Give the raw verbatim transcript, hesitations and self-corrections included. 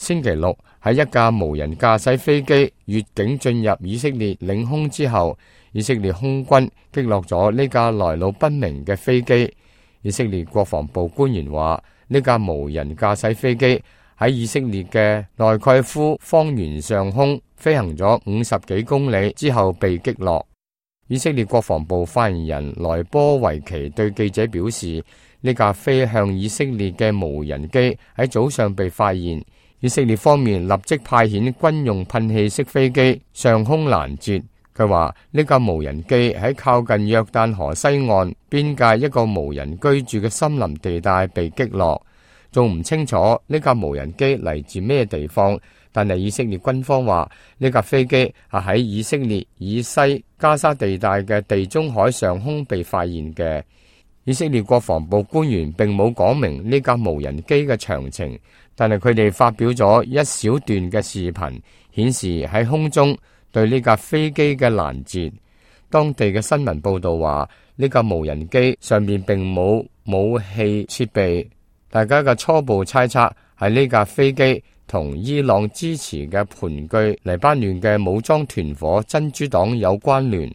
星期六喺一架無人駕駛飛機越境進入以色列領空之後，以色列空軍擊落咗呢架來路不明嘅飛機。以色列國防部官員話，呢架無人駕駛飛機喺以色列嘅內蓋夫方圓上空飛行咗五十幾公里之後被擊落。以色列國防部發言人萊波維奇對記者表示，呢架飛向以色列嘅無人機喺早上被發現，以色列方面立即派遣軍用噴氣式飛機上空攔截。佢話呢架無人機喺靠近約旦河西岸邊界一個無人居住嘅森林地帶被擊落，仲唔清楚呢架無人機嚟自咩地方，但係以色列軍方話呢架飛機係喺以色列以西加沙地帶嘅地中海上空被發現嘅。以色列國防部官員並冇講明呢架無人機嘅詳情，但係佢哋發表咗一小段嘅視頻，顯示喺空中對呢架飛機嘅攔截。當地嘅新聞報道話，呢架無人機上面並冇武器設備，大家嘅初步猜測係呢架飛機同伊朗支持嘅盤踞黎巴嫩嘅武裝團伙真主黨有關聯。